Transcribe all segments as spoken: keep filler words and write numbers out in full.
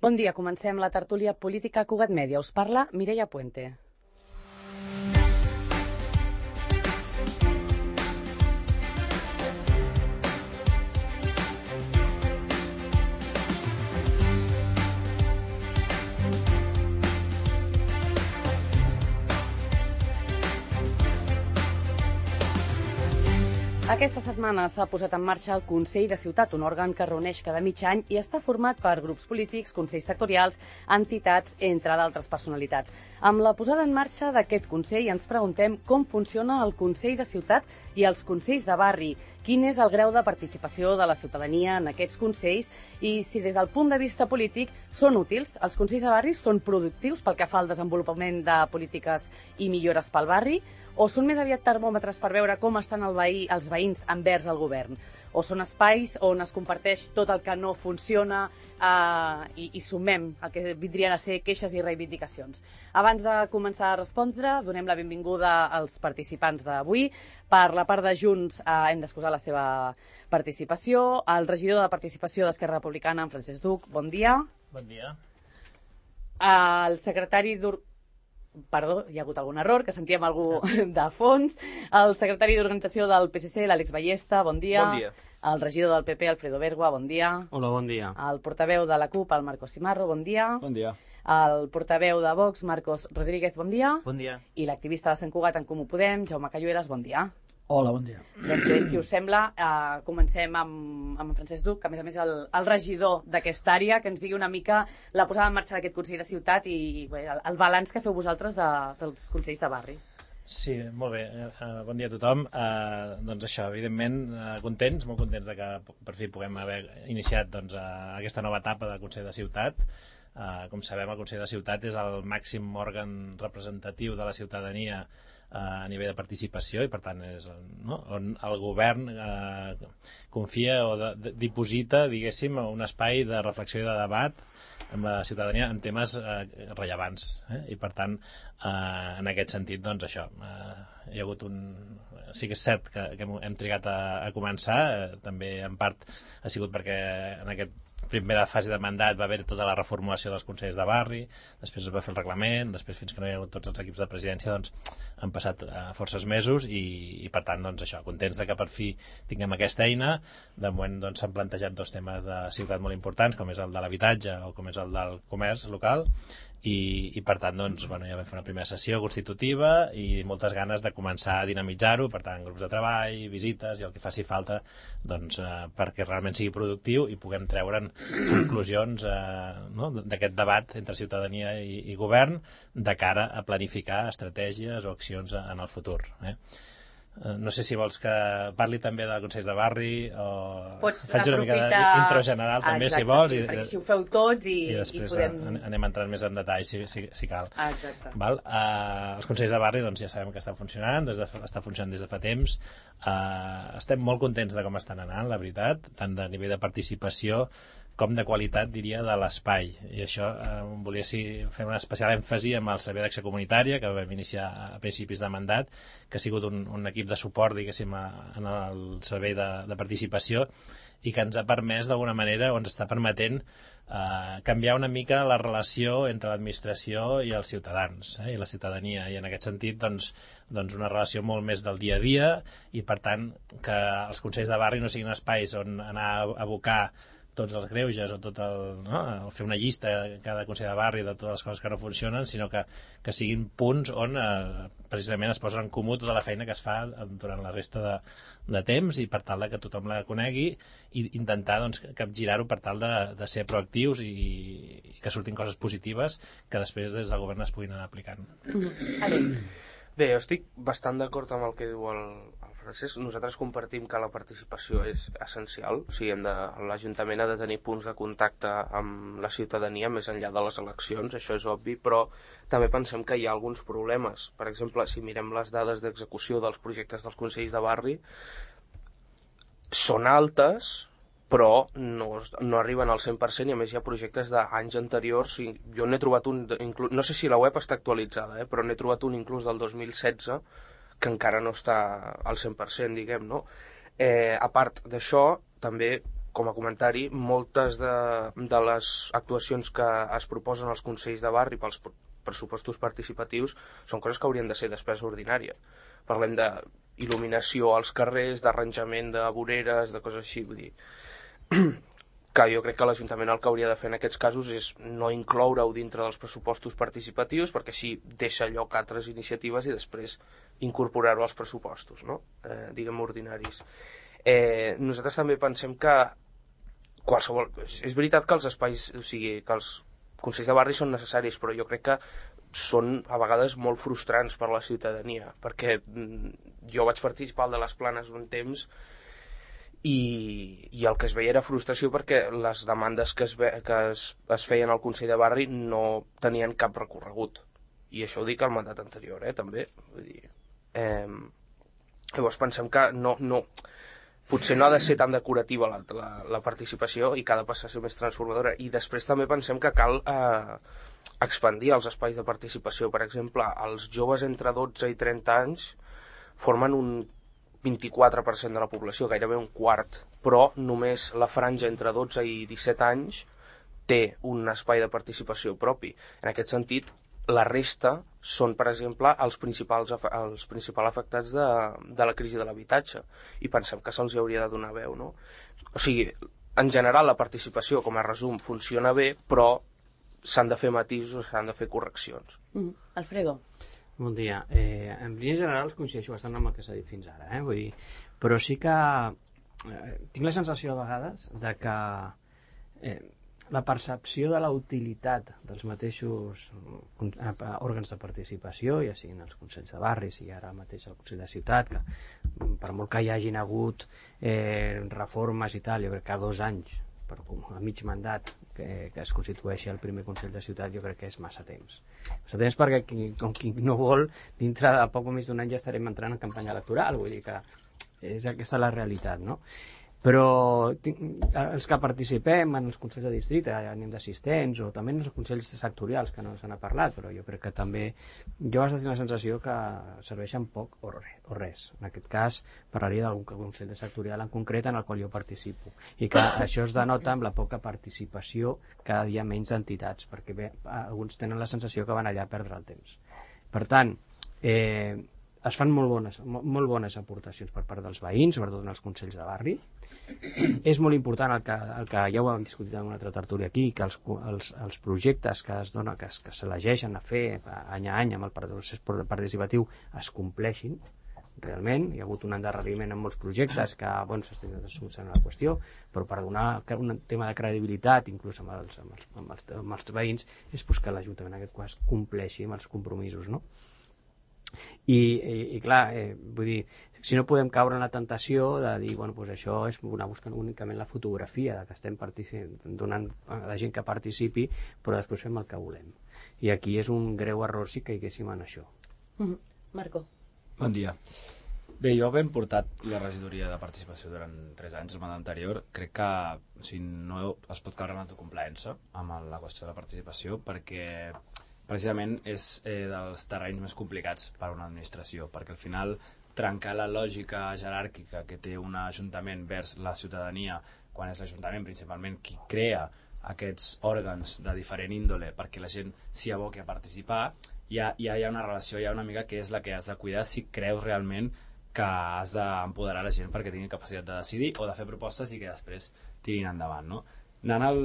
Bon dia, comencem la tertúlia política Cugat Mèdia. Us parla Mireia Puente. Aquesta setmana s'ha posat en marxa el Consell de Ciutat, un òrgan que reuneix cada mig any i està format per grups polítics, consells sectorials, entitats, entre d'altres personalitats. Amb la posada en marxa d'aquest Consell ens preguntem com funciona el Consell de Ciutat i els Consells de Barri, quin és el grau de participació de la ciutadania en aquests consells i si des del punt de vista polític són útils. Els Consells de Barri són productius pel que fa al desenvolupament de polítiques i millores pel barri, o són més aviat termòmetres per veure com estan el veí, els veïns envers el govern? O són espais on es comparteix tot el que no funciona eh, i, i sumem el que vindrien a ser queixes i reivindicacions? Abans de començar a respondre, donem la benvinguda als participants d'avui. Per la part de Junts eh, hem d'excusar la seva participació. El regidor de Participació d'Esquerra Republicana, en Francesc Duc, bon dia. Bon dia. El secretari d'Ur... Perdó, hi ha hagut algun error, que sentíem algú de fons. El secretari d'Organització del P S C, l'Àlex Ballesta, bon dia. Bon dia. El regidor del P P, Alfredo Bergua, bon dia. Hola, bon dia. El portaveu de la CUP, el Marcos Cimarro, bon dia. Bon dia. El portaveu de Vox, Marcos Rodríguez, bon dia. Bon dia. I l'activista de Sant Cugat en Comú Podem, Jaume Cayueras, bon dia. Hola, bon dia. Doncs bé, si us sembla, eh, comencem amb, amb en Francesc Duc, que a més a més el, el regidor d'aquesta àrea, que ens digui una mica la posada en marxa d'aquest Consell de Ciutat i, i bé, el, el balanç que feu vosaltres de, dels Consells de Barri. Sí, molt bé. Uh, bon dia a tothom. Uh, doncs això, evidentment, uh, contents, molt contents de que per fi puguem haver iniciat doncs, uh, aquesta nova etapa del Consell de Ciutat. Uh, com sabem, el Consell de Ciutat és el màxim òrgan representatiu de la ciutadania a nivell de participació i per tant és, no, on el govern eh, confia o de, de, diposita, diguéssim, un espai de reflexió i de debat amb la ciutadania en temes eh, rellevants, eh? I per tant eh, en aquest sentit doncs això eh, hi ha hagut un... sí que és cert que, que hem trigat a, a començar, eh, també en part ha sigut perquè en aquest primera fase de mandat va haver tota la reformulació dels consells de barri, després es va fer el reglament, després fins que no hi ha hagut tots els equips de presidència doncs han passat uh, forces mesos i, i per tant doncs això, contents de que per fi tinguem aquesta eina. De moment doncs s'han plantejat dos temes de ciutat molt importants, com és el de l'habitatge o com és el del comerç local i, i per tant doncs, bueno, ja vam fer una primera sessió constitutiva i moltes ganes de començar a dinamitzar-ho, per tant grups de treball, visites i el que faci falta doncs, eh, perquè realment sigui productiu i puguem treure'n conclusions eh, no? d'aquest debat entre ciutadania i, i govern de cara a planificar estratègies o accions en el futur. Eh? No sé si vols que parli també de consells de barri o Pots faig una mica d'intro general també. Exacte, si vols sí, i, perquè si ho feu tots i, i després i podem... anem entrant més en detall si, si, si cal. Exacte. Val? Uh, els consells de barri doncs, ja sabem que estan funcionant, des de, està funcionant des de fa temps. Uh, estem molt contents de com estan anant, la veritat, tant de nivell de participació com de qualitat, diria, de l'espai. I això eh, volia sí, fer un especial èmfasi amb el Servei d'Acció Comunitària, que vam iniciar a principis de mandat, que ha sigut un, un equip de suport, diguéssim, a, en el servei de, de participació i que ens ha permès, d'alguna manera, o ens està permetent eh, canviar una mica la relació entre l'administració i els ciutadans, eh, i la ciutadania. I en aquest sentit, doncs, doncs una relació molt més del dia a dia i, per tant, que els consells de barri no siguin espais on anar a abocar tots els greuges o tot el, no? el fer una llista cada consell de barri de totes les coses que no funcionen, sinó que, que siguin punts on eh, precisament es posa en comú tota la feina que es fa durant la resta de, de temps i per tal de que tothom la conegui i intentar doncs, capgirar-ho per tal de, de ser proactius i, i que surtin coses positives que després des del govern es puguin anar aplicant. Mm-hmm. Àlex. Bé, jo estic bastant d'acord amb el que diu el, el Francesc. Nosaltres compartim que la participació és essencial. O sigui, hem de, l'Ajuntament ha de tenir punts de contacte amb la ciutadania més enllà de les eleccions, això és obvi, però també pensem que hi ha alguns problemes. Per exemple, si mirem les dades d'execució dels projectes dels consells de barri, són altes, però no, no arriben al cent per cent i a més hi ha projectes d'anys anteriors. I jo n'he trobat un, no sé si la web està actualitzada, eh, però n'he trobat un inclús del dos mil setze que encara no està al cent per cent, diguem, no? Eh, a part d'això, també com a comentari, moltes de, de les actuacions que es proposen als consells de barri pels pressupostos participatius són coses que haurien de ser despesa ordinària. Parlem d'il·luminació als carrers, d'arranjament de voreres, de coses així, vull dir que jo crec que l'Ajuntament el que hauria de fer en aquests casos és no incloure-ho dintre dels pressupostos participatius, perquè així deixa lloc a altres iniciatives i després incorporar-ho als pressupostos, no? eh, diguem ordinaris. Eh, nosaltres també pensem que qualsevol... És veritat que els espais, o sigui, que els consells de barri són necessaris, però jo crec que són a vegades molt frustrants per a la ciutadania, perquè jo vaig participar al de les Planes un temps i, i el que es veia era frustració perquè les demandes que es, ve, que es, es feien al Consell de Barri no tenien cap recorregut. I això ho dic al mandat anterior, eh, també. Vull dir, eh, llavors pensem que no, no, potser no ha de ser tan decorativa la, la, la participació i que ha de passar a ser més transformadora. I després també pensem que cal eh, expandir els espais de participació. Per exemple, els joves entre dotze i trenta anys formen un vint-i-quatre per cent de la població, gairebé un quart, però només la franja entre dotze i disset anys té un espai de participació propi. En aquest sentit, la resta són, per exemple, els principals, els principals afectats de, de la crisi de l'habitatge, i pensem que se'ls hauria de donar veu, no? O sigui, en general la participació, com a resum, funciona bé, però s'han de fer matisos, s'han de fer correccions. Mm. Alfredo. Bon dia. Eh, en línies generals coincideixo bastant amb el que s'ha dit fins ara, eh? Vull dir, però sí que eh, tinc la sensació a vegades de que eh, la percepció de la utilitat dels mateixos eh, òrgans de participació, ja siguin els consells de barris i ara mateix el Consell de Ciutat, que per molt que hi hagin hagut eh, reformes i tal, jo crec que a dos anys per a mig mandat que, que es constitueixi el primer Consell de Ciutat, jo crec que és massa temps. Massa temps perquè qui, com qui no vol, dintre de poc o més d'un any ja estarem entrant en campanya electoral, vull dir que és aquesta la realitat, no? Però els que participem en els consells de districte, anem d'assistents, o també en els consells sectorials, que no se n'ha parlat, però jo crec que també jo vaig tenir la sensació que serveixen poc o res. En aquest cas parlaria d'algun consell sectorial en concret en el qual jo participo, i que això es denota amb la poca participació, cada dia menys d'entitats, perquè bé, alguns tenen la sensació que van allà a perdre el temps. Per tant, eh, es fan molt bones, molt bones aportacions per part dels veïns, sobretot en els consells de barri. És molt important el que, el que ja ho hem discutit en una altra tertúlia aquí, que els, els, els projectes que es dona, que, que s'elegeixen a fer any a any amb el procés participatiu es compleixin realment. Hi ha hagut un endarreriment en molts projectes que bueno, s'estan solucionant la qüestió, però per donar un tema de credibilitat inclús amb els, amb els, amb els, amb els veïns és pues, que l'Ajuntament en aquest cas compleixi amb els compromisos, no? I, i, i clar, eh, vull dir, si no podem caure en la tentació de dir, bueno, pues això és anar buscant únicament la fotografia de que estem donant a la gent que participi, però després fem el que volem. I aquí és un greu error si caiguéssim en això. Mm-hmm. Marco. Bon dia. Bé, jo havent portat la regidoria de participació durant tres anys, el mandat anterior, crec que o sigui, no es pot caure en autocomplaença amb la qüestió de la participació, perquè precisament és eh, dels terrenys més complicats per a una administració, perquè al final trencar la lògica jeràrquica que té un ajuntament vers la ciutadania, quan és l'Ajuntament principalment qui crea aquests òrgans de diferent índole perquè la gent s'hi aboqui a participar, ja, ja hi ha una relació, hi ha una mica que és la que has de cuidar si creus realment que has d'empoderar la gent perquè tingui capacitat de decidir o de fer propostes i que després tirin endavant, no? Anant al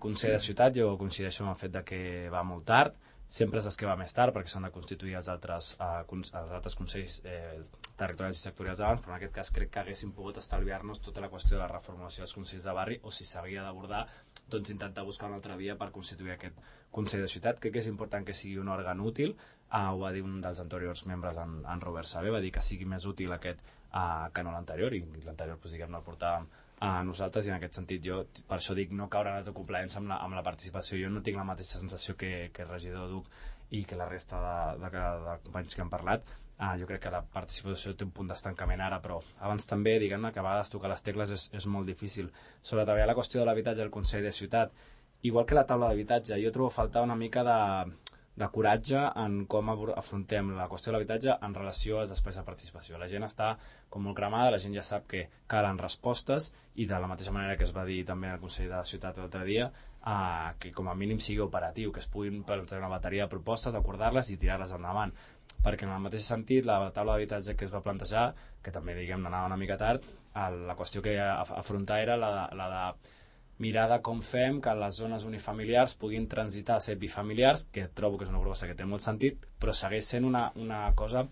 Consell de Ciutat, jo coincideixo amb el fet de que va molt tard, sempre és que va més tard perquè s'han de constituir els altres, eh, els altres consells eh, territorials i sectorials d'abans, però en aquest cas crec que haguéssim pogut estalviar-nos tota la qüestió de la reformulació dels consells de barri, o si s'havia d'abordar, doncs intentar buscar una altra via per constituir aquest Consell de Ciutat. Crec que és important que sigui un òrgan útil, eh, ho va dir un dels anteriors membres, en, en Robert Sabé, va dir que sigui més útil aquest eh, que no l'anterior, i l'anterior pues, diguem, no el portàvem a nosaltres, i en aquest sentit jo per això dic no caure en autocomplaença amb, la, amb la participació. Jo no tinc la mateixa sensació que, que el regidor Duc i que la resta de, de, de, de companys que han parlat. Ah, jo crec que la participació té un punt d'estancament ara, però abans també, diguem-ne, que a vegades tocar les tecles és, és molt difícil. Sobre treballar la qüestió de l'habitatge al Consell de Ciutat, igual que la taula d'habitatge, jo trobo faltar una mica de, de coratge en com afrontem la qüestió de l'habitatge en relació als espais de participació. La gent està com molt cremada, la gent ja sap que calen respostes i de la mateixa manera que es va dir també al Consell de la Ciutat l'altre dia, eh, que com a mínim sigui operatiu, que es puguin plantejar una bateria de propostes, acordar-les i tirar-les endavant. Perquè en el mateix sentit, la taula d'habitatge que es va plantejar, que també diguem anava una mica tard, la qüestió que afrontar era la de, la de mirar de com fem que les zones unifamiliars puguin transitar a ser bifamiliars, que trobo que és una proposta que té molt sentit, però segueix sent una, una cosa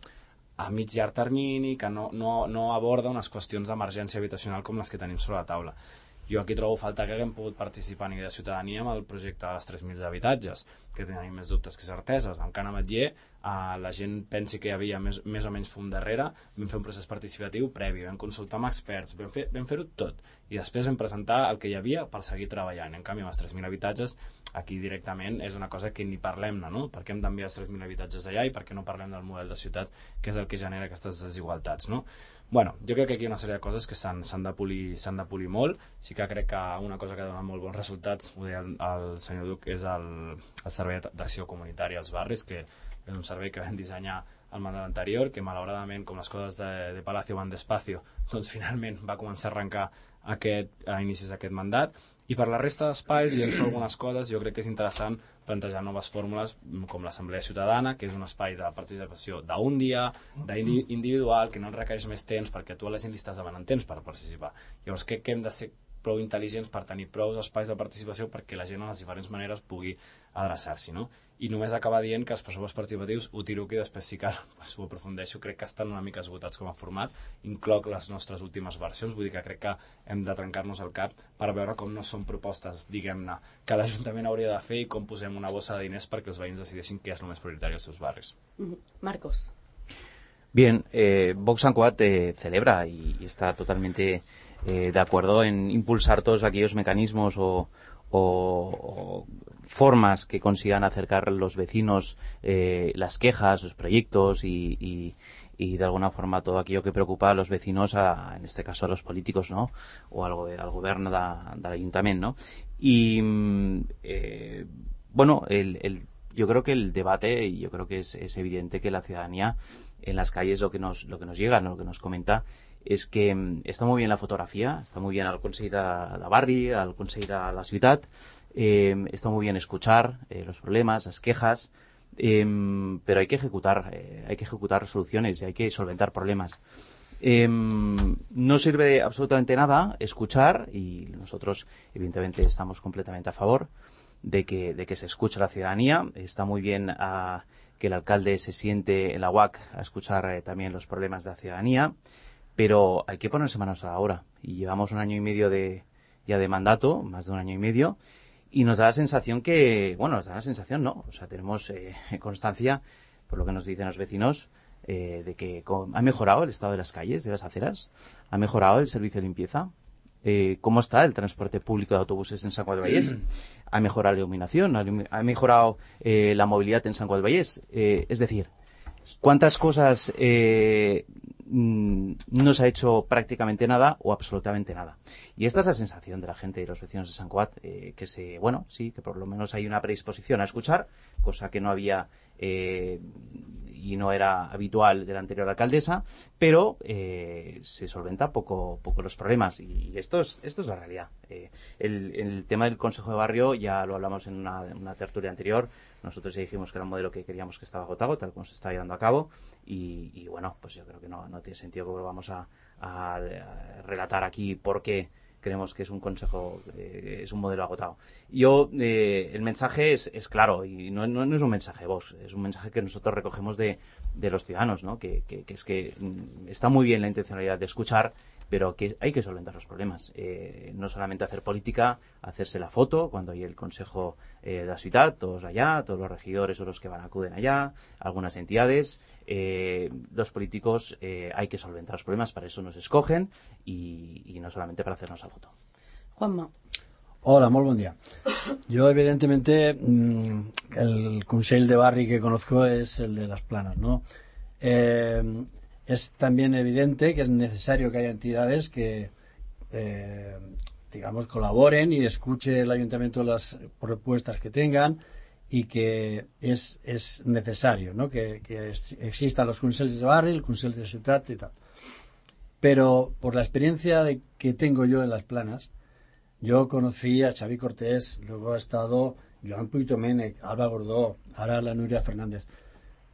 a mig llarg termini, que no, no, no aborda unes qüestions d'emergència habitacional com les que tenim sobre la taula. Jo aquí trobo falta que haguem pogut participar a nivell de ciutadania amb el projecte de les tres mil habitatges, que tenim més dubtes que certeses. En Can Ametller, eh, la gent pensi que hi havia més, més o menys fum darrere, vam fer un procés participatiu previ, vam consultar amb experts, vam fer, vam fer-ho tot, i després vam presentar el que hi havia per seguir treballant. En canvi, amb els tres mil habitatges, aquí directament és una cosa que ni parlem-ne, no? Per què hem d'enviar els tres mil habitatges allà i per què no parlem del model de ciutat, que és el que genera aquestes desigualtats, no? Bueno, jo crec que aquí hi ha una sèrie de coses que s'han de polir, s'han de polir molt. Sí que crec que una cosa que ha donat molt bons resultats, ho deia el, el senyor Duc, és el, el Servei d'Acció Comunitària als Barris, que és un servei que vam dissenyar al mandat anterior, que malauradament, com les coses de, de Palacio van despacio, doncs finalment va començar a arrencar aquest, a inicis d'aquest mandat. I per la resta d'espais, i hem fet algunes coses, jo crec que és interessant plantejar noves fórmules com l'Assemblea Ciutadana, que és un espai de participació d'un dia, d'individual, que no requereix més temps, perquè tu a la gent li estàs demanant temps per participar. Llavors crec que hem de ser prou intel·ligents per tenir prou espais de participació perquè la gent a les diferents maneres pugui adreçar-s'hi, no? I només acabar dient que els pressupostos participatius ho tiro aquí, després sí que ho aprofundeixo, crec que estan una mica esgotats com a format, incloc les nostres últimes versions, vull dir que crec que hem de trencar-nos el cap per veure com no són propostes, diguem-ne, que l'Ajuntament hauria de fer i com posem una bossa de diners perquè els veïns decideixin què és el més prioritari als seus barris. Marcos. Bien, eh, Vox Sancoat eh, celebra y, y está totalmente eh, de acuerdo en impulsar todos aquellos mecanismos o, o, o formas que consigan acercar a los vecinos eh, las quejas, los proyectos y, y, y de alguna forma todo aquello que preocupa a los vecinos, a, en este caso a los políticos, ¿no? O al, al gobierno da, del ayuntamiento, ¿no? Y eh, bueno, el, el, yo creo que el debate, y yo creo que es, es evidente que la ciudadanía en las calles lo que nos, lo que nos llega, ¿no? Lo que nos comenta es que está muy bien la fotografía, está muy bien al Consell de, de Barri, al Consell de la Ciutat, eh, está muy bien escuchar eh, los problemas, las quejas, eh, pero hay que ejecutar, eh, hay que ejecutar soluciones y hay que solventar problemas. Eh, no sirve absolutamente nada escuchar, y nosotros evidentemente estamos completamente a favor de que, de que se escuche a la ciudadanía. Está muy bien a, que el alcalde se siente en la U A C a escuchar eh, también los problemas de la ciudadanía, pero hay que ponerse manos a la obra. Y llevamos un año y medio de, ya de mandato, más de un año y medio, y nos da la sensación que, bueno, nos da la sensación, ¿no? O sea, tenemos eh, constancia, por lo que nos dicen los vecinos, eh, de que ha mejorado el estado de las calles, de las aceras, ha mejorado el servicio de limpieza. Eh, ¿Cómo está el transporte público de autobuses en San Cugat del Vallès? ¿Ha mejorado la iluminación? ¿Ha mejorado eh, la movilidad en San Cugat del Vallès? Eh, es decir, ¿cuántas cosas eh, no se ha hecho prácticamente nada o absolutamente nada? Y esta es la sensación de la gente y los vecinos de San Cugat, eh, que se, bueno, sí, que por lo menos hay una predisposición a escuchar, cosa que no había eh, y no era habitual de la anterior alcaldesa, pero eh, se solventa poco, poco los problemas, y esto es, esto es la realidad. Eh, el, el tema del Consejo de Barrio ya lo hablamos en una, en una tertulia anterior. Nosotros ya dijimos que era un modelo que queríamos que estaba agotado, tal como se está llevando a cabo, y, y bueno, pues yo creo que no, no tiene sentido que volvamos a, a, a relatar aquí por qué creemos que es un consejo, eh, es un modelo agotado. Yo, eh, el mensaje es, es claro, y no, no, no es un mensaje de Vox, es un mensaje que nosotros recogemos de, de los ciudadanos, ¿no? Que, que, que es que mm, está muy bien la intencionalidad de escuchar, pero que hay que solventar los problemas. Eh, no solamente hacer política, hacerse la foto cuando hay el Consejo eh, de la Ciutat, todos allá, todos los regidores o los que van acuden allá, algunas entidades. Eh, los políticos eh, hay que solventar los problemas, para eso nos escogen, y, y no solamente para hacernos la foto. Juanma. Hola, muy buen día. Yo, evidentemente, el Consell de Barri que conozco es el de Las Planas, ¿no? Eh, es también evidente que es necesario que haya entidades que, eh, digamos, colaboren y escuche el ayuntamiento las propuestas que tengan y que es, es necesario, ¿no? que, que existan los consells de barri, el consell de ciutat y tal. Pero por la experiencia de, que tengo yo en las Planas, yo conocí a Xavi Cortés, luego ha estado Joan Puig Domènech, Alba Gordó, ahora la Núria Fernández.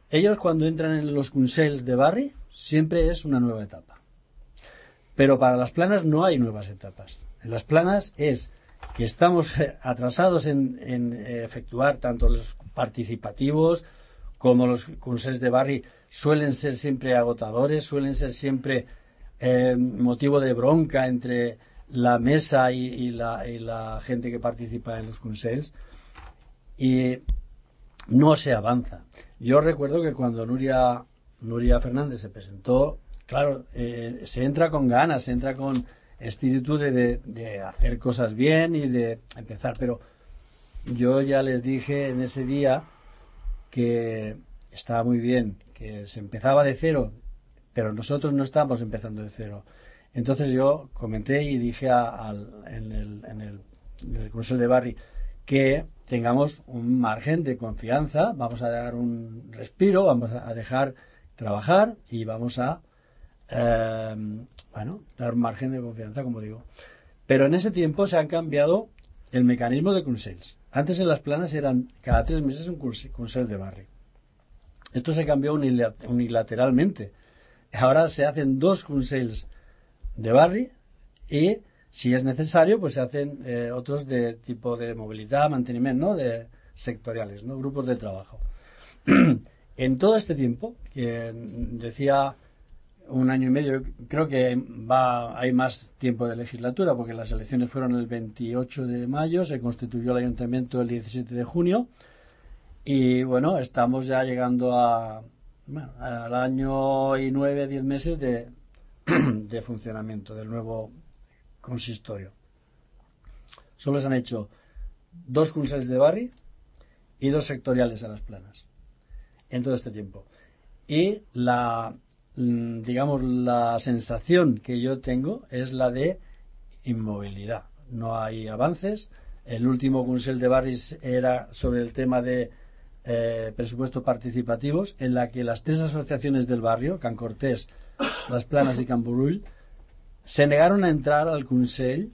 Ellos cuando entran en los consells de barri siempre es una nueva etapa. Pero para las Planas no hay nuevas etapas. En las Planas es que estamos atrasados en, en efectuar tanto los participativos como los consells de barri suelen ser siempre agotadores, suelen ser siempre eh, motivo de bronca entre la mesa y, y, la, y la gente que participa en los consells, y no se avanza. Yo recuerdo que cuando Núria, Núria Fernández se presentó, claro, eh, se entra con ganas, se entra con espíritu de, de, de hacer cosas bien y de empezar, pero yo ya les dije en ese día que estaba muy bien, que se empezaba de cero, pero nosotros no estamos empezando de cero. Entonces yo comenté y dije a, a, en, el, en, el, en el Consell de Barri que tengamos un margen de confianza, vamos a dar un respiro, vamos a dejar trabajar y vamos a eh, bueno, dar un margen de confianza, como digo. Pero en ese tiempo se han cambiado el mecanismo de consells. Antes en las Planas eran cada tres meses un consell de barri. Esto se cambió unilateralmente. Ahora se hacen dos consells de barri y si es necesario pues se hacen eh, otros de tipo de movilidad, mantenimiento, ¿no? De sectoriales, ¿no? Grupos de trabajo. En todo este tiempo, que decía un año y medio, creo que va hay más tiempo de legislatura porque las elecciones fueron el veintiocho de mayo, se constituyó el ayuntamiento el diecisiete de junio y bueno, estamos ya llegando a bueno, al año y nueve, diez meses de, de funcionamiento del nuevo consistorio. Solo se han hecho dos consells de barri y dos sectoriales a las Planas en todo este tiempo. Y la, digamos, la sensación que yo tengo es la de inmovilidad. No hay avances. El último consell de barris era sobre el tema de eh, presupuestos participativos, en la que las tres asociaciones del barrio, Can Cortés, Las Planas y Can Burull, se negaron a entrar al consell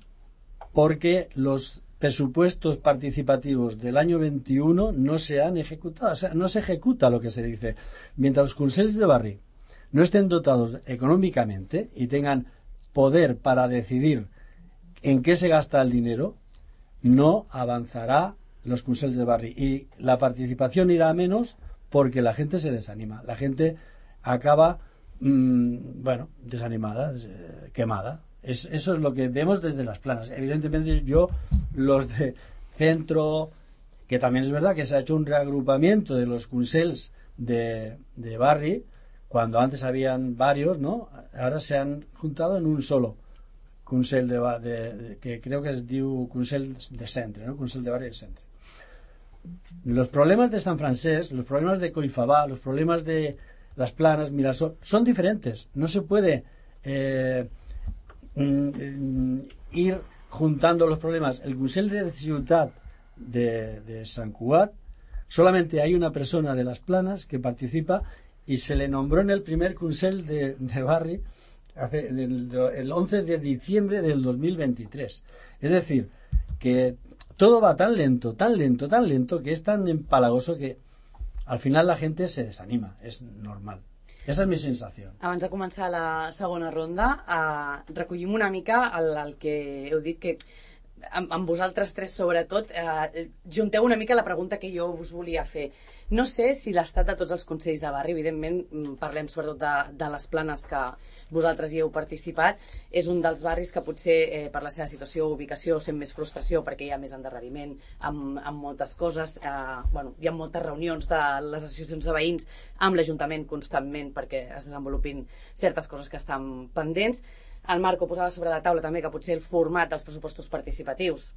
porque los presupuestos participativos del año veintiuno no se han ejecutado, o sea, no se ejecuta lo que se dice. Mientras los consells de barri no estén dotados económicamente y tengan poder para decidir en qué se gasta el dinero, no avanzará los consells de barri y la participación irá a menos porque la gente se desanima, la gente acaba mmm, bueno, desanimada, quemada. Es, eso es lo que vemos desde las Planas. Evidentemente yo, los de centro, que también es verdad que se ha hecho un reagrupamiento de los consells de, de barri, cuando antes habían varios, ¿no? Ahora se han juntado en un solo consell de, de, de que creo que es diu consell de centre, ¿no? Consell de barri de centre. Los problemas de San Francés, los problemas de Collifabà, los problemas de las Planas, Mirasol, son diferentes. No se puede eh, ir juntando los problemas. El Consell de Ciutat de, de Sant Cugat, solamente hay una persona de las Planas que participa y se le nombró en el primer Consell de, de barri hace, el, el once de diciembre del dos mil veintitrés. Es decir, que todo va tan lento, tan lento, tan lento, que es tan empalagoso que al final la gente se desanima. És normal. Esa és mi sensació. Abans de començar la segona ronda, eh, recollim una mica el, el que heu dit, que amb, amb vosaltres tres sobretot, eh, junteu una mica la pregunta que jo us volia fer. No sé si l'estat de tots els consells de barri, evidentment parlem sobretot de, de les Planes que vosaltres hi heu participat, és un dels barris que potser eh, per la seva situació o ubicació sent més frustració perquè hi ha més endarreriment amb, amb moltes coses, eh, bueno, hi ha moltes reunions de les associacions de veïns amb l'Ajuntament constantment perquè es desenvolupin certes coses que estan pendents. El Marco posava sobre la taula també que potser el format dels pressupostos participatius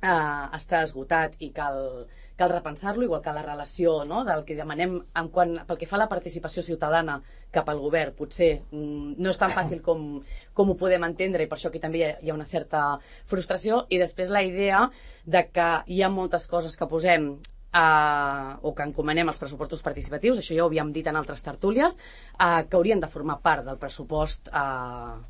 eh, està esgotat i cal, cal repensar-lo, igual que la relació, no?, del que demanem en quan, pel que fa a la participació ciutadana cap al govern, potser mm, no és tan fàcil com, com ho podem entendre, i per això aquí també hi ha, hi ha una certa frustració. I després la idea de que hi ha moltes coses que posem Uh, o que encomanem els pressupostos participatius, això ja ho havíem dit en altres tertúlies, uh, que haurien de formar part del pressupost uh,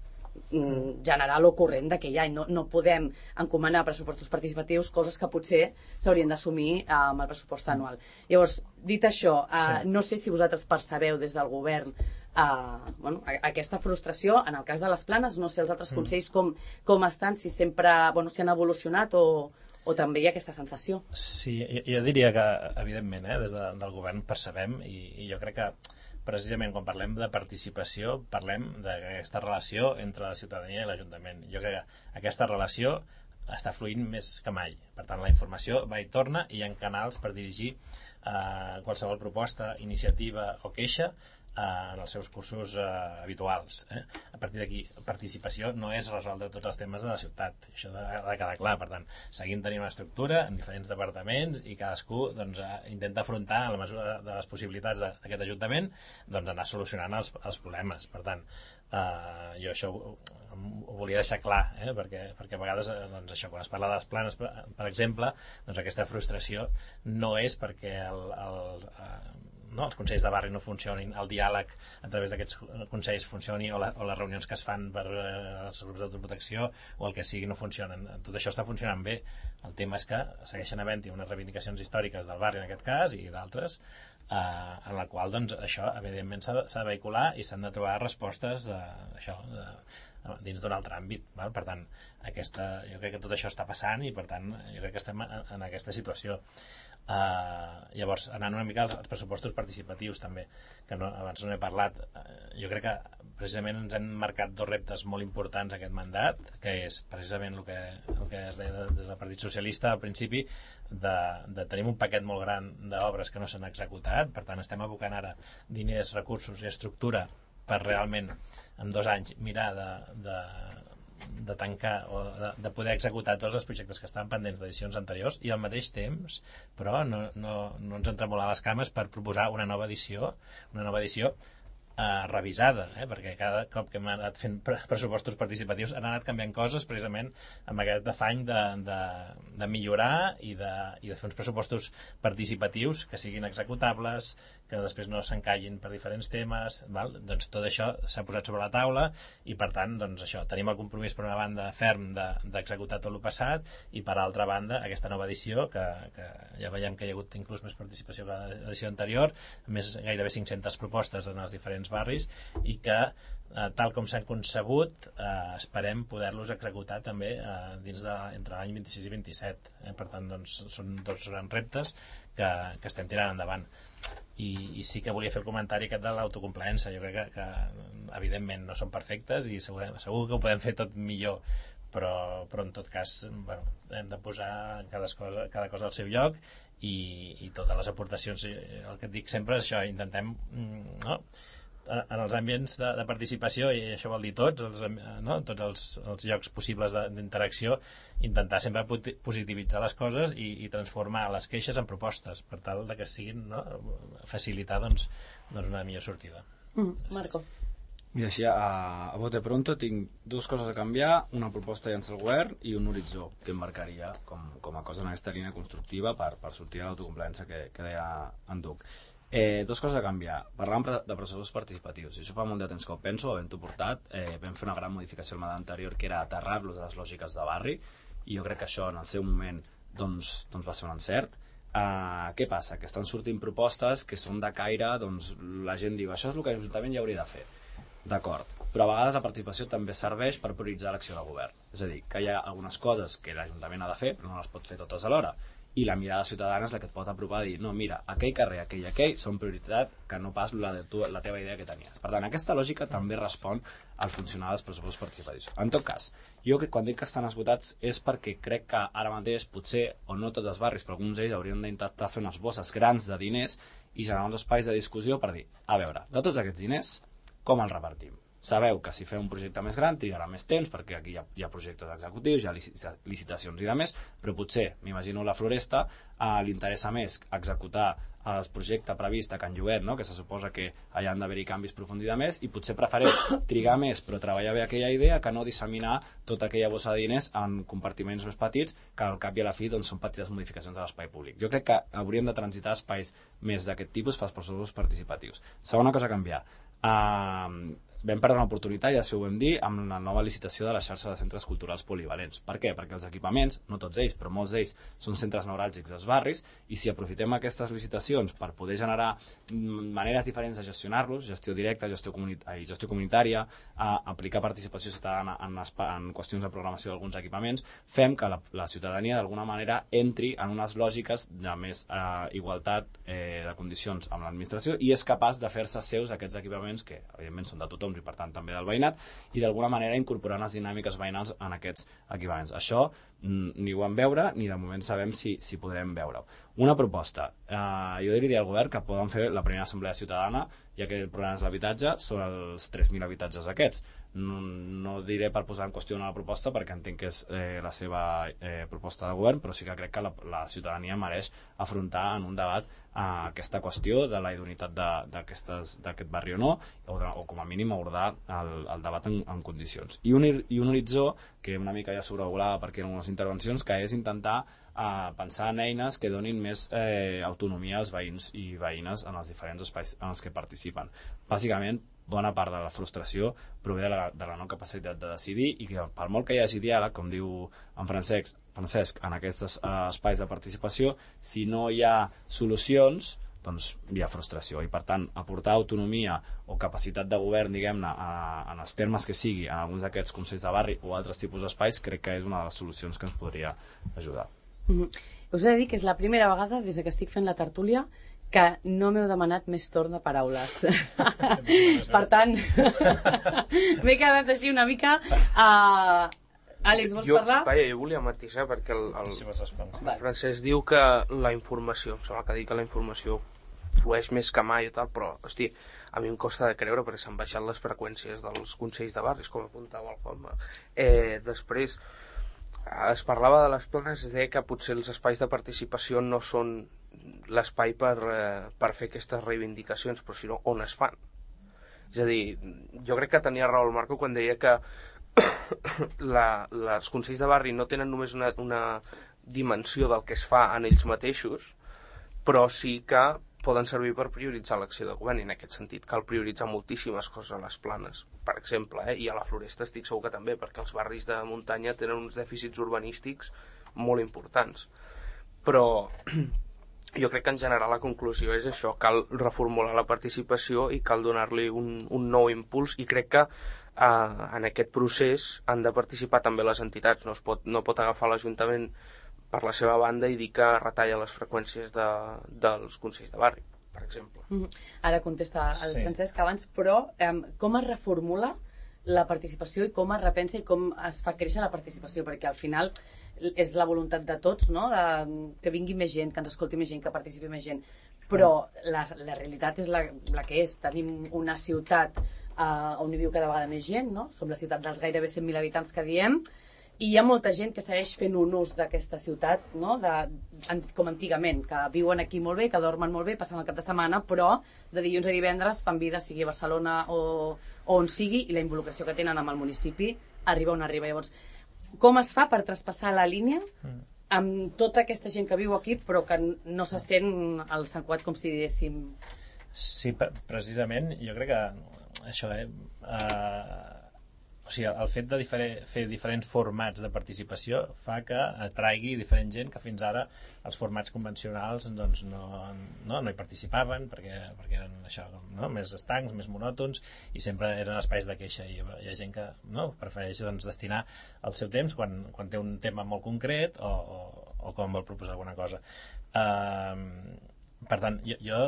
general o corrent d'aquell any. No, no podem encomanar pressupostos participatius coses que potser s'haurien d'assumir uh, amb el pressupost anual. Llavors, dit això, uh, sí. no sé si vosaltres percebeu des del govern uh, bueno, aquesta frustració. En el cas de les Planes, no sé els altres mm. consells com, com estan, si sempre bueno, si han evolucionat o o també hi ha aquesta sensació. Sí, jo, jo diria que, evidentment, eh, des de, del govern percebem, i, i jo crec que precisament quan parlem de participació parlem d'aquesta relació entre la ciutadania i l'Ajuntament. Jo crec que aquesta relació està fluint més que mai. Per tant, la informació va i torna i hi ha canals per dirigir eh, qualsevol proposta, iniciativa o queixa en els seus cursos eh, habituals. Eh? A partir d'aquí, participació no és resoldre tots els temes de la ciutat. Això ha de, de quedar clar. Per tant, seguim tenint una estructura en diferents departaments i cadascú doncs, intenta afrontar, a la mesura de les possibilitats d'aquest Ajuntament, doncs, anar solucionant els, els problemes. Per tant, eh, jo això ho, ho volia deixar clar, eh? perquè, perquè a vegades doncs, això, quan es parla de les Planes, per, per exemple, doncs, aquesta frustració no és perquè el, el, eh, no, els consells de barri no funcionin, el diàleg a través d'aquests consells funcioni o, la, o les reunions que es fan per eh, els grups d'autoprotecció o el que sigui no funcionen. Tot això està funcionant bé. El tema és que segueixen havent-hi unes reivindicacions històriques del barri en aquest cas i d'altres eh, en la qual doncs, això evidentment s'ha de vehicular i s'han de trobar respostes eh, això, eh, dins d'un altre àmbit. Val? Per tant, aquesta, jo crec que tot això està passant i per tant jo crec que estem en, en aquesta situació. Uh, llavors, anant una mica als, als pressupostos participatius també, que no, abans no he parlat, uh, jo crec que precisament ens han marcat dos reptes molt importants aquest mandat, que és precisament el que, el que es deia des del Partit Socialista al principi, de, de tenir un paquet molt gran d'obres que no s'han executat. Per tant, estem abocant ara diners, recursos i estructura per realment en dos anys mirar de, de de tancar o de, de poder executar tots els projectes que estaven pendents d'edicions anteriors i al mateix temps, però no, no, no ens entremolar les cames per proposar una nova edició, una nova edició eh, revisada, eh? perquè cada cop que hem anat fent pressupostos participatius han anat canviant coses precisament amb aquest afany de, de, de millorar i de, i de fer uns pressupostos participatius que siguin executables, que després no s'encallin per diferents temes, val? Doncs tot això s'ha posat sobre la taula i per tant doncs això, tenim el compromís per una banda ferm d'executar de, tot el passat i per altra banda aquesta nova edició que, que ja veiem que hi ha hagut inclús més participació que l'edició anterior, més gairebé cinc-centes propostes en els diferents barris i que eh, tal com s'han concebut eh, esperem poder-los executar també eh, dins de, entre l'any vint-i-sis i vint-i-set. Eh? Per tant doncs, són dos grans reptes que, que estem tirant endavant. I, i sí que volia fer el comentari aquest de l'autocomplaença. Jo crec que, que evidentment no són perfectes i segur, segur que ho podem fer tot millor, però, però en tot cas bueno, hem de posar cada cosa, cada cosa al seu lloc i, i totes les aportacions, el que et dic sempre és això, intentem no? en els ambients de, de participació, i això vol dir tots els, no? tots els, els llocs possibles d'interacció, intentar sempre positivitzar les coses i, i transformar les queixes en propostes per tal de que siguin, no? facilitar doncs, doncs una millor sortida. mm, Marco. Mira, així a, a bote pronto tinc dues coses a canviar, una proposta a llançar al govern i un horitzó que em marcaria com, com a cosa en aquesta línia constructiva per, per sortir a l'autocomplaença que, que deia en Duc. Eh, dos coses a canviar. Parlàvem de processos participatius. I això fa molt de temps que ho penso, havent-ho portat. Eh, vam fer una gran modificació al mandat anterior, que era aterrar-los a les lògiques de barri, i jo crec que això en el seu moment doncs, doncs va ser un encert. Eh, què passa? Que estan sortint propostes que són de caire, doncs la gent diu això és el que l'Ajuntament ja hauria de fer. D'acord. Però a vegades la participació també serveix per prioritzar l'acció de govern. És a dir, que hi ha algunes coses que l'Ajuntament ha de fer, però no les pot fer totes alhora. I la mirada ciutadana és la que et pot apropar a dir no, mira, aquell carrer, aquell i aquell són prioritat que no pas la, de tu, la teva idea que tenies. Per tant, aquesta lògica també respon al funcionar dels pressupostos participatius. En tot cas, jo que quan dic que estan esgotats és perquè crec que ara mateix potser, o no tots els barris, però alguns d'ells haurien d'intentar fer unes bosses grans de diners i generar uns espais de discussió per dir, a veure, de tots aquests diners, com els repartim? sabeu que si feu un projecte més gran trigarà més temps, perquè aquí hi ha, hi ha projectes executius, hi ha licitacions i de més, però potser, m'imagino la Floresta, eh, li interessa més executar el projecte previst a Can Llobet, no? Que se suposa que allà han d'haver-hi canvis profuns i de més, i potser prefereix trigar més però treballar bé aquella idea que no disseminar tota aquella bossa de diners en compartiments més petits que al cap i a la fi doncs, són petites modificacions de l'espai públic. Jo crec que hauríem de transitar espais més d'aquest tipus pels processos participatius. Segona cosa a canviar. Uh, vam perdre una oportunitat, ja si ho vam dir, amb la nova licitació de la xarxa de centres culturals polivalents. Per què? Perquè els equipaments, no tots ells, però molts d'ells són centres neuràlgics dels barris, i si aprofitem aquestes licitacions per poder generar maneres diferents de gestionar-los, gestió directa, gestió, comuni ai, gestió comunitària, a aplicar participació ciutadana en, en qüestions de programació d'alguns equipaments, fem que la, la ciutadania d'alguna manera entri en unes lògiques de més eh, igualtat eh, de condicions amb l'administració i és capaç de fer-se seus aquests equipaments que evidentment són de tothom i per tant també del veïnat, i d'alguna manera incorporar les dinàmiques veïnals en aquests equipaments. Això ni ho vam veure ni de moment sabem si, si podrem veure-ho. Una proposta, eh, jo diria al govern que poden fer la primera assemblea ciutadana, ja que el problema és l'habitatge, són els tres mil habitatges aquests. No, no diré per posar en qüestió una proposta perquè entenc que és eh, la seva eh, proposta de govern, però sí que crec que la, la ciutadania mereix afrontar en un debat eh, aquesta qüestió de la idoneïtat d'aquest barri o no, o, de, o com a mínim abordar el, el debat en, en condicions. I un, I un horitzó que una mica ja sobrevolava perquè en unes intervencions, que és intentar eh, pensar en eines que donin més eh, autonomia als veïns i veïnes en els diferents espais en els que participen. Bàsicament, bona part de la frustració prové de la, de la no capacitat de decidir i que per molt que hi hagi diàleg, com diu en Francesc, Francesc en aquests uh, espais de participació, si no hi ha solucions, doncs hi ha frustració i per tant aportar autonomia o capacitat de govern, diguem-ne, en els termes que sigui en alguns d'aquests consells de barri o altres tipus d'espais, crec que és una de les solucions que ens podria ajudar. Mm-hmm. Us he de dir que és la primera vegada des que estic fent la tertúlia que no m'heu demanat més torn de paraules. Per tant, m'he quedat així una mica... Uh... Àlex, vols jo, parlar? Vaja, jo volia matisar perquè el, el, el Francesc diu que la informació, em sembla que diu que la informació flueix més que mai i tal, però, hosti, a mi em costa de creure perquè s'han baixat les freqüències dels consells de barris, com apuntava el Juanma. Eh, després, es parlava de les planes, es deia que potser els espais de participació no són l'espai per, eh, per fer aquestes reivindicacions, però sinó on es fan. És a dir, jo crec que tenia raó el Marco quan deia que la, la, els consells de barri no tenen només una, una dimensió del que es fa en ells mateixos, però sí que poden servir per prioritzar l'acció de govern, i en aquest sentit cal prioritzar moltíssimes coses a les planes, per exemple, eh? I a la Floresta estic segur que també, perquè els barris de muntanya tenen uns dèficits urbanístics molt importants. Però jo crec que en general la conclusió és això, cal reformular la participació i cal donar-li un, un nou impuls, i crec que eh, en aquest procés han de participar també les entitats, no, es pot, no pot agafar l'Ajuntament per la seva banda i dir que retalla les freqüències de, dels consells de barri, per exemple. Mm-hmm. Ara contesta el sí. Francesc abans, però eh, com es reformula la participació i com es repensa i com es fa créixer la participació, perquè al final és la voluntat de tots, no? De, que vingui més gent, que ens escolti més gent, que participi més gent, però la, la realitat és la, la que és. Tenim una ciutat eh, on hi viu cada vegada més gent, no? Som la ciutat dels gairebé cent mil habitants que diem, i hi ha molta gent que segueix fent un ús d'aquesta ciutat, no? De, com antigament, que viuen aquí molt bé, que dormen molt bé, passen el cap de setmana, però de dilluns a divendres fan vida, sigui a Barcelona o, o on sigui, i la involucració que tenen amb el municipi arriba on arriba. Llavors, com es fa per traspassar la línia amb tota aquesta gent que viu aquí però que no se sent al Sant Cugat, com si diguéssim? Sí, precisament, jo crec que això, eh, uh, o sigui, el fet de difere, fer diferents formats de participació fa que atraigui diferent gent que fins ara els formats convencionals doncs, no, no, no hi participaven perquè, perquè eren això, no? Més estancs, més monòtons, i sempre eren espais de queixa, i hi ha gent que no, prefereix doncs, destinar el seu temps quan, quan té un tema molt concret o, o, o quan vol proposar alguna cosa. Uh, per tant, jo, jo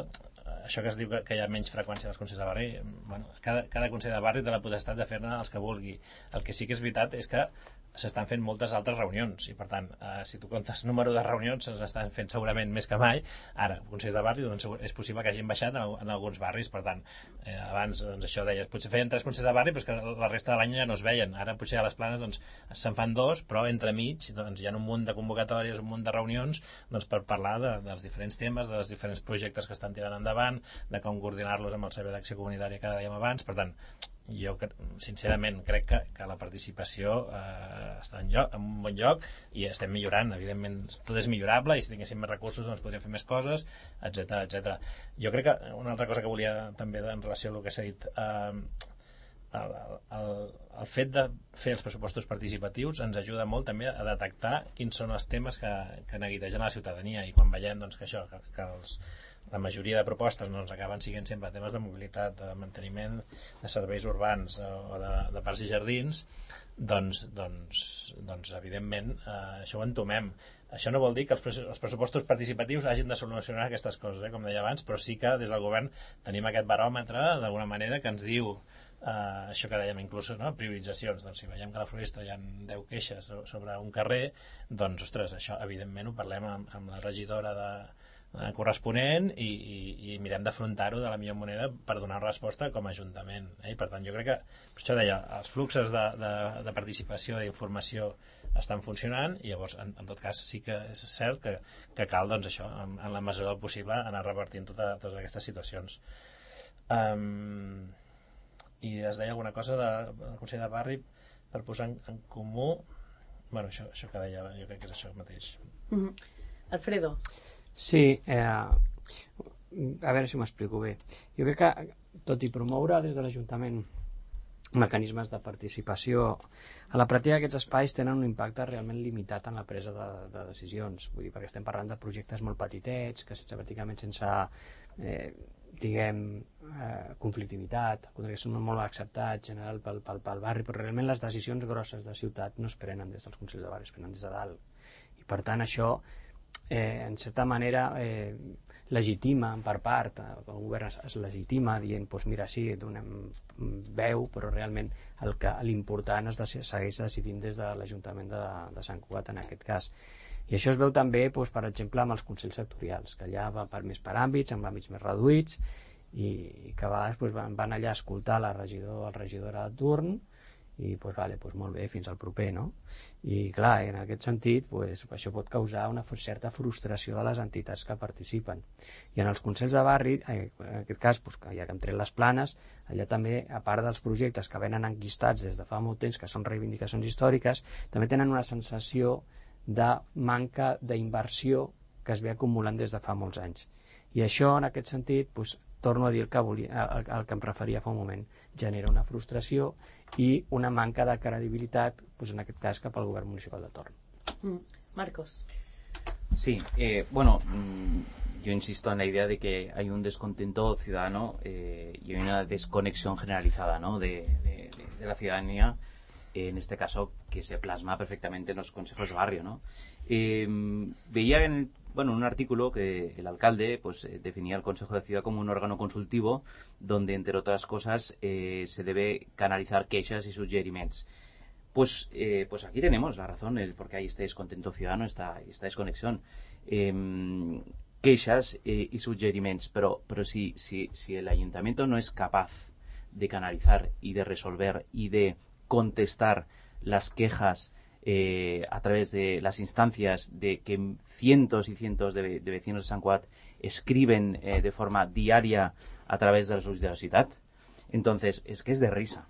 això que es diu que, que hi ha menys freqüència dels consells de barri, bueno, cada, cada consell de barri té la potestat de fer-ne els que vulgui. El que sí que és veritat és que s'estan fent moltes altres reunions i per tant, eh, si tu comptes número de reunions s'estan fent segurament més que mai. Ara, consells de barri doncs, és possible que hagin baixat en, en alguns barris, per tant eh, abans doncs, això deies, potser feien tres consells de barri però és que la resta de l'any ja no es veien. Ara potser a les Planes doncs, se'n fan dos, però entremig doncs, hi ha un munt de convocatòries, un munt de reunions doncs, per parlar de, dels diferents temes, dels diferents projectes que estan tirant endavant, de com coordinar-los amb el Servei d'Acció Comunitària que dèiem abans. Per tant, jo sincerament crec que, que la participació eh, està en, lloc, en un bon lloc i estem millorant, evidentment tot és millorable i si tinguéssim més recursos doncs podríem fer més coses, etc etcètera. Jo crec que una altra cosa que volia també en relació a el que s'ha dit, eh, el, el, el fet de fer els pressupostos participatius ens ajuda molt també a detectar quins són els temes que, que neguitegen la ciutadania i quan veiem doncs, que això, que, que els la majoria de propostes doncs, acaben siguent sempre temes de mobilitat, de manteniment de serveis urbans o de, de parcs i jardins, doncs, doncs, doncs evidentment eh, això ho entomem. Això no vol dir que els, els pressupostos participatius hagin de solucionar aquestes coses, eh, com deia abans, però sí que des del govern tenim aquest baròmetre d'alguna manera que ens diu eh, això que dèiem inclús, no? Prioritzacions. Doncs si veiem que a la Floresta hi ha deu queixes sobre un carrer, doncs ostres, això evidentment ho parlem amb, amb la regidora de corresponent i, i, i mirem d'afrontar-ho de la millor manera per donar resposta com a Ajuntament, eh? I per tant jo crec que, per això deia, els fluxos de, de, de participació i d'informació estan funcionant i llavors en, en tot cas sí que és cert que, que cal doncs això, en, en la mesura del possible anar repartint tota, totes aquestes situacions. Um, i es deia alguna cosa de, del Consell de Barri per posar en, en comú, bueno, això, això que deia jo crec que és això mateix. Mm-hmm. Alfredo. Sí, eh, a veure si m'explico bé. Jo crec que, tot i promoure des de l'Ajuntament mecanismes de participació, a la pràctica aquests espais tenen un impacte realment limitat en la presa de, de decisions. Vull dir, perquè estem parlant de projectes molt petitets, que sense, pràcticament sense, eh, diguem, eh, conflictivitat, que són molt acceptats en general pel, pel, pel barri, però realment les decisions grosses de ciutat no es prenen des dels consells de barri, es prenen des de dalt. I per tant això Eh, en certa manera eh, legitima per part, el govern es, es legitima dient, doncs mira, sí, donem veu, però realment el que l'important es de, segueix decidint des de l'Ajuntament de, de Sant Cugat en aquest cas. I això es veu també, doncs, per exemple, amb els consells sectorials, que allà va per més per àmbits, amb àmbits més reduïts, i, i que a vegades doncs, van, van allà a escoltar la regidor, el regidor de turn, i doncs, vale, doncs molt bé, fins al proper, no? I clar, en aquest sentit doncs, això pot causar una certa frustració de les entitats que participen. I en els consells de barri, en aquest cas, doncs, que ja que hem tret les Planes, allà també, a part dels projectes que venen enquistats des de fa molt temps, que són reivindicacions històriques, també tenen una sensació de manca d'inversió que es ve acumulant des de fa molts anys. I això, en aquest sentit, doncs, torno a dir el que, volia, el, el que em referia fa un moment, genera una frustració i una manca de credibilitat, pues en aquest cas, cap al govern municipal de torn. Mm. Marcos. Sí, eh, bueno, yo insisto en la idea de que hay un descontento ciudadano eh, y hay una desconexión generalizada, ¿no? de, de, de la ciudadanía, eh, en este caso, que se plasma perfectamente en los consejos de barrio, ¿no? Eh, veía en el Bueno, un artículo que el alcalde pues eh, definía el Consejo de Ciudad como un órgano consultivo donde, entre otras cosas, eh, se debe canalizar queixas y suggeriments. Pues, eh, pues aquí tenemos la razón, el por qué hay este descontento ciudadano, esta, esta desconexión. Eh, queixas eh, y suggeriments, pero, pero si, si, si el ayuntamiento no es capaz de canalizar y de resolver y de contestar las quejas Eh, a través de las instancias de que cientos y cientos de, de vecinos de Sant Cugat escriben eh, de forma diaria a través de la solicitud de la ciudad, entonces es que es de risa,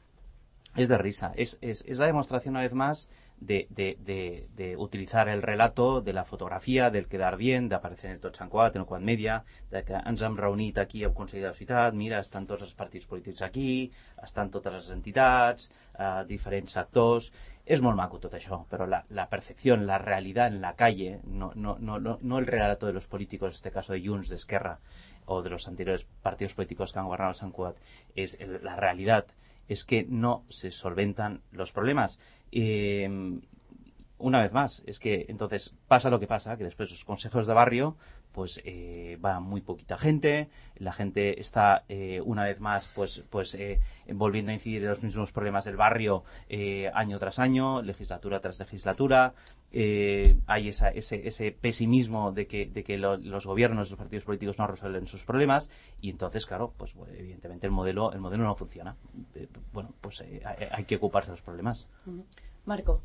es de risa, es, es, es la demostración una vez más de, de, de, de utilizar el relato de la fotografia, del quedar bien, d'aparèixer en el tot Sant Cugat, en el Cugat Media, de que ens hem reunit aquí al Consell de la Ciutat, mira, estan tots els partits polítics aquí, estan totes les entitats, eh, diferents actors. Es molt maco tot això, però la, la percepción, la realidad en la calle, no, no, no, no, no el relato de los políticos, en este caso de Junts, de Esquerra, o de los anteriores partidos políticos que han gobernado Sant Cugat, es el, la realidad es que no se solventan los problemas. Eh, una vez más, es que entonces pasa lo que pasa, que después los consejos de barrio pues eh, va muy poquita gente, la gente está eh, una vez más pues pues eh, volviendo a incidir en los mismos problemas del barrio eh, año tras año, legislatura tras legislatura, eh, hay esa, ese, ese pesimismo de que, de que lo, los gobiernos, los partidos políticos no resuelven sus problemas y entonces claro, pues evidentemente el modelo el modelo no funciona. Eh, bueno, pues eh, hay que ocuparse de los problemas. Marco.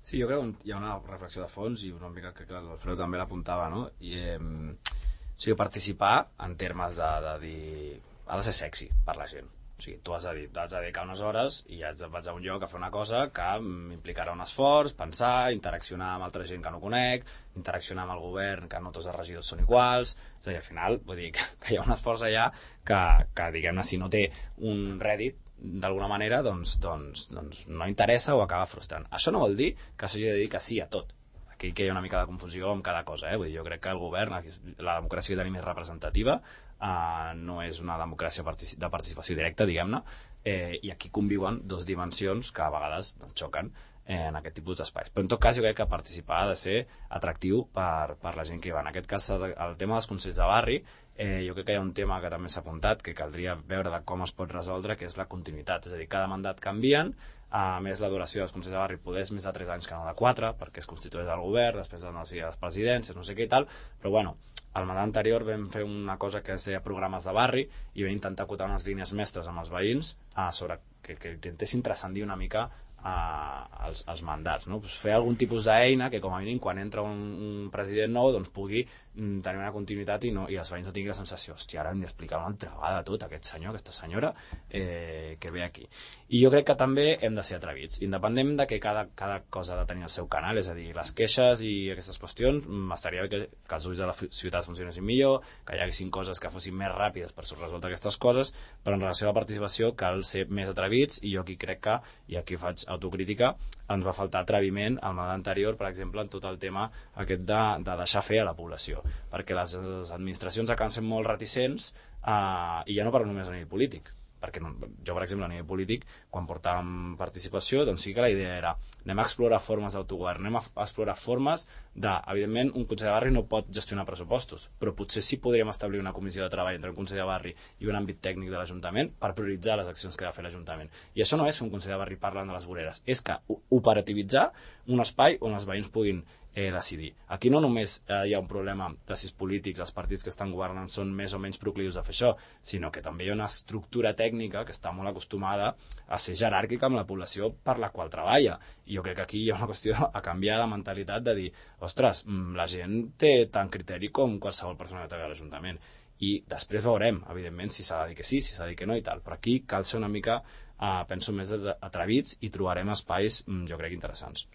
Sí, jo crec que hi ha una reflexió de fons i una mica que l'Alfredo també l'apuntava, no? I, eh, o sigui, participar en termes de, de dir... ha de ser sexy per la gent. O sigui, tu has de, dir, has de dedicar unes hores i ja vaig a un lloc a fer una cosa que m'implicarà un esforç, pensar, interaccionar amb altra gent que no conec, interaccionar amb el govern, que no tots els regidors són iguals... És a dir, al final, vull dir que, que hi ha un esforç allà que, que diguem-ne, si no té un rèdit, d'alguna manera doncs, doncs, doncs no interessa o acaba frustrant. Això no vol dir que s'hagi de dir que sí a tot. Aquí que hi ha una mica de confusió amb cada cosa, eh? Vull dir, jo crec que el govern, la democràcia que tenim és representativa, eh, no és una democràcia de participació directa, diguem-ne, eh, i aquí conviuen dos dimensions que a vegades doncs, xoquen en aquest tipus d'espais. Però en tot cas jo crec que participar ha de ser atractiu per, per la gent que hi va. En aquest cas el tema dels consells de barri, eh, jo crec que hi ha un tema que també s'ha apuntat que caldria veure de com es pot resoldre, que és la continuïtat, és a dir, cada mandat canvien, a més la duració dels consells de barri poder és més de tres anys que no de quatre, perquè es constitueix el govern, després de les presidències, no sé què i tal, però bueno, al mandat anterior vam fer una cosa que es deia programes de barri i vam intentar acotar unes línies mestres amb els veïns eh, sobre que, que intentessin transcendir una mica als, als mandats, no? Pues fer algun tipus d'eina que com a mínim quan entra un, un president nou doncs pugui mm, tenir una continuïtat i, no, i els veïns no tinguin la sensació, hòstia, ara hem d'explicar una altra vegada tot, aquest senyor, aquesta senyora eh, que ve aquí. I jo crec que també hem de ser atrevits, independent de que cada, cada cosa ha de tenir el seu canal, és a dir, les queixes i aquestes qüestions, estaria bé que, que els ulls de la ciutat funcionessin millor, que hi haguessin coses que fossin més ràpides per resoldre aquestes coses, però en relació a la participació cal ser més atrevits i jo aquí crec que, i aquí faig autocrítica, ens va faltar atreviment al mandat anterior, per exemple, en tot el tema aquest de, de deixar fer a la població, perquè les, les administracions acaben sent molt reticents eh, i ja no parlo només a nivell polític, perquè no, jo, per exemple, a nivell polític, quan portàvem participació, doncs sí que la idea era anem a explorar formes d'autogovern, anem a explorar formes de, evidentment, un consell de barri no pot gestionar pressupostos, però potser sí podríem establir una comissió de treball entre un consell de barri i un àmbit tècnic de l'Ajuntament per prioritzar les accions que ha de fer l'Ajuntament. I això no és fer un consell de barri parlant de les voreres, és que operativitzar un espai on els veïns puguin eh, decidir. Aquí no només eh, hi ha un problema de si els polítics, els partits que estan governant són més o menys proclius a fer això, sinó que també hi ha una estructura tècnica que està molt acostumada a ser jeràrquica amb la població per la qual treballa. I jo crec que aquí hi ha una qüestió a canviar de mentalitat de dir, ostres, la gent té tant criteri com qualsevol persona que treballa a l'Ajuntament. I després veurem, evidentment, si s'ha de dir que sí, si s'ha de dir que no i tal. Però aquí cal ser una mica, eh, penso, més atrevits i trobarem espais, jo crec, interessants.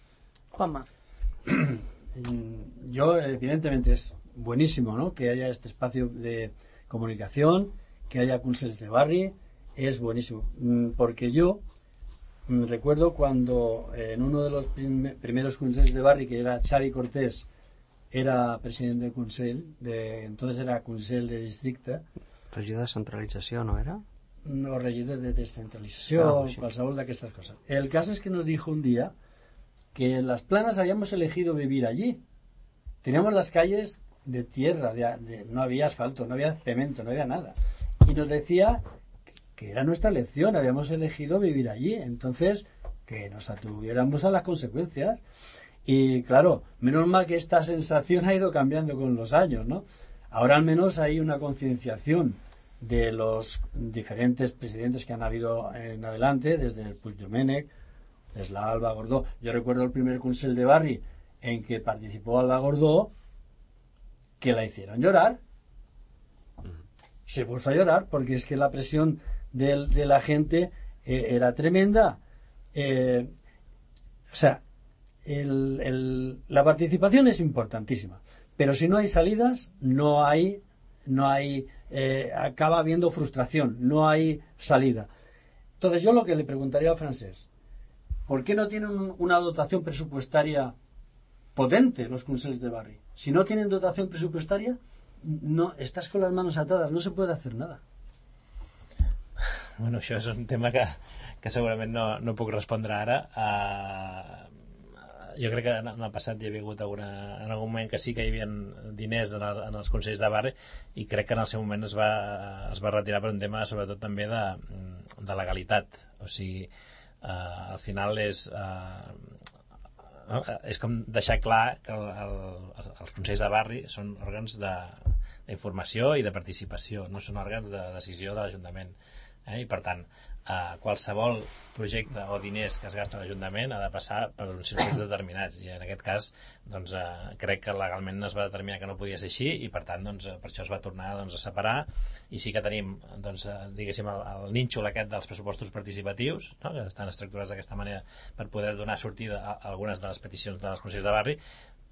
Juanma. Yo, evidentemente, es buenísimo, ¿no?, que haya este espacio de comunicación, que haya consejos de barri, es buenísimo. Porque yo recuerdo cuando en uno de los prim primeros consejos de barri, que era Xavi Cortés, era presidente del consell, de, entonces era consell de districte. Regidor de centralització, ¿no era? No, regidor de descentralización, ah, sí. Qualsevol d'aquestes coses. El caso es que nos dijo un día que en Las Planas habíamos elegido vivir allí. Teníamos las calles de tierra, de, de, no había asfalto, no había cemento, no había nada. Y nos decía que era nuestra elección, habíamos elegido vivir allí. Entonces, que nos atuviéramos a las consecuencias. Y claro, menos mal que esta sensación ha ido cambiando con los años, ¿no? Ahora al menos hay una concienciación de los diferentes presidentes que han habido en adelante, desde el Puig Domènech, desde la Alba Gordó. Yo recuerdo el primer consell de barri en que participó Alba Gordó, que la hicieron llorar. Se puso a llorar porque es que la presión de, de la gente eh, era tremenda. Eh, o sea, el, el, la participación es importantísima, pero si no hay salidas, no hay, no hay, eh, acaba habiendo frustración, no hay salida. Entonces yo lo que le preguntaría a Francesc, ¿por qué no tienen una dotación presupuestaria potente los consells de barri? Si no tienen dotación presupuestaria, no, estás con las manos atadas, no se puede hacer nada. Bueno, això és un tema que, que segurament no, no puc respondre ara. Uh, jo crec que en el passat hi havia hagut alguna, en algun moment que sí que hi havia diners en els, en els consells de barri, i crec que en el seu moment es va, es va retirar per un tema sobretot també de, de legalitat. O sigui, eh, al final és eh, no? és com deixar clar que el, el, els consells de barri són òrgans d'informació i de participació, no són òrgans de decisió de l'Ajuntament, eh? I per tant Uh, qualsevol projecte o diners que es gasta a l'Ajuntament ha de passar per uns circuits determinats, i en aquest cas doncs, uh, crec que legalment es va determinar que no podia ser així, i per tant doncs, per això es va tornar doncs, a separar. I sí que tenim doncs, uh, diguéssim el, el nínxol aquest dels pressupostos participatius, no? Que estan estructurats d'aquesta manera per poder donar sortida a algunes de les peticions dels consells de barri,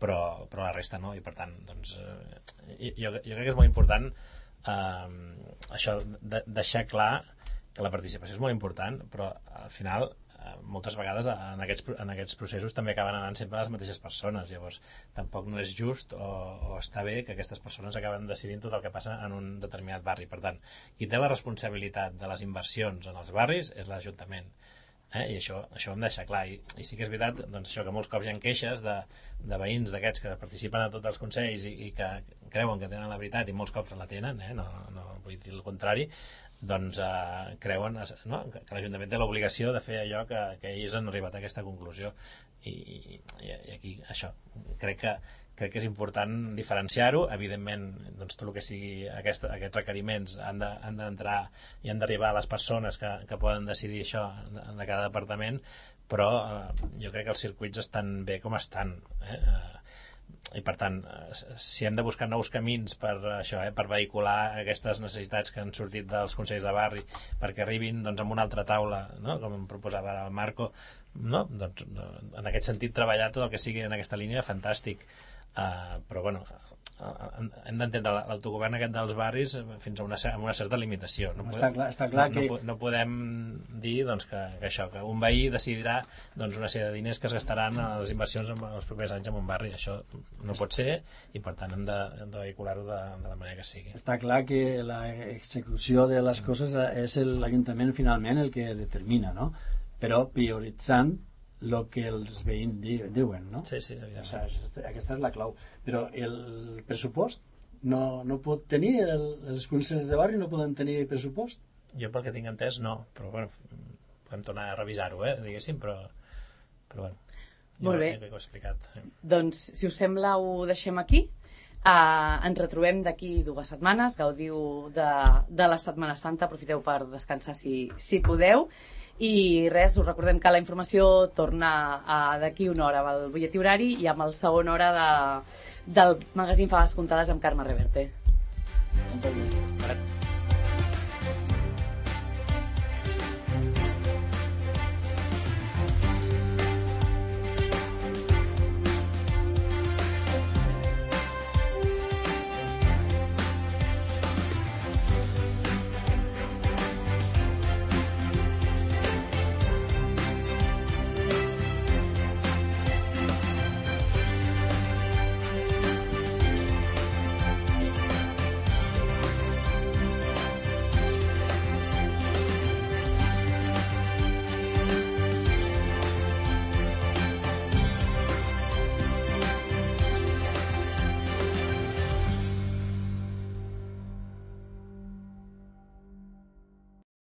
però, però la resta no, i per tant doncs, uh, jo, jo crec que és molt important uh, això, de, deixar clar que la participació és molt important, però al final moltes vegades en aquests, en aquests processos també acaben anant sempre les mateixes persones, llavors tampoc no és just o, o està bé que aquestes persones acaben decidint tot el que passa en un determinat barri. Per tant, qui té la responsabilitat de les inversions en els barris és l'Ajuntament. Eh? I això, això ho hem de deixar clar, I, i sí que és veritat doncs, això, que molts cops hi ha queixes de, de veïns d'aquests que participen a tots els consells i, i que creuen que tenen la veritat i molts cops la tenen, eh? no, no vull dir el contrari, doncs eh, creuen no? que, que l'Ajuntament té l'obligació de fer allò que, que ells han arribat a aquesta conclusió, i, i, i aquí això crec que, crec que és important diferenciar-ho. Evidentment doncs, tot el que sigui aquest, aquests requeriments han d'entrar de, i han d'arribar a les persones que, que poden decidir això de cada departament, però eh, jo crec que els circuits estan bé com estan, eh? I per tant, si hem de buscar nous camins per això, eh, per vehicular aquestes necessitats que han sortit dels consells de barri perquè arribin doncs, amb una altra taula, no? Com em proposava el Marco, no? Doncs, en aquest sentit treballar tot el que sigui en aquesta línia, fantàstic, uh, però bueno, hem d'entendre l'autogovern aquest dels barris fins a una, a una certa limitació. No, està clar, està clar no, que... no, no podem dir doncs, que, que això, que un veí decidirà doncs, una sèrie de diners que es gastaran a les inversions en els propers anys en un barri. Això no pot ser, i per tant hem de, hem de vehicular-ho de, de la manera que sigui. Està clar que la execució de les coses és l'Ajuntament finalment el que determina, no? Però prioritzant el que els veïns diuen, no? Sí, sí, evidentment. O sigui, aquesta és la clau. Però el pressupost no, no pot tenir, el, els consells de barri no poden tenir pressupost? Jo pel que tinc entès no, però bueno, podem tornar a revisar-ho, eh, diguéssim, però, però bueno, molt bé. Jo ho he explicat. Sí. Doncs, si us sembla, ho deixem aquí. Uh, ens retrobem d'aquí dues setmanes. Gaudiu de, de la Setmana Santa, aprofiteu per descansar si, si podeu. I res, us recordem que la informació torna d'aquí una hora al butlletí horari i amb el segon hora de, del magazín Faves Comptades amb Carme Reverte. Moltes gràcies.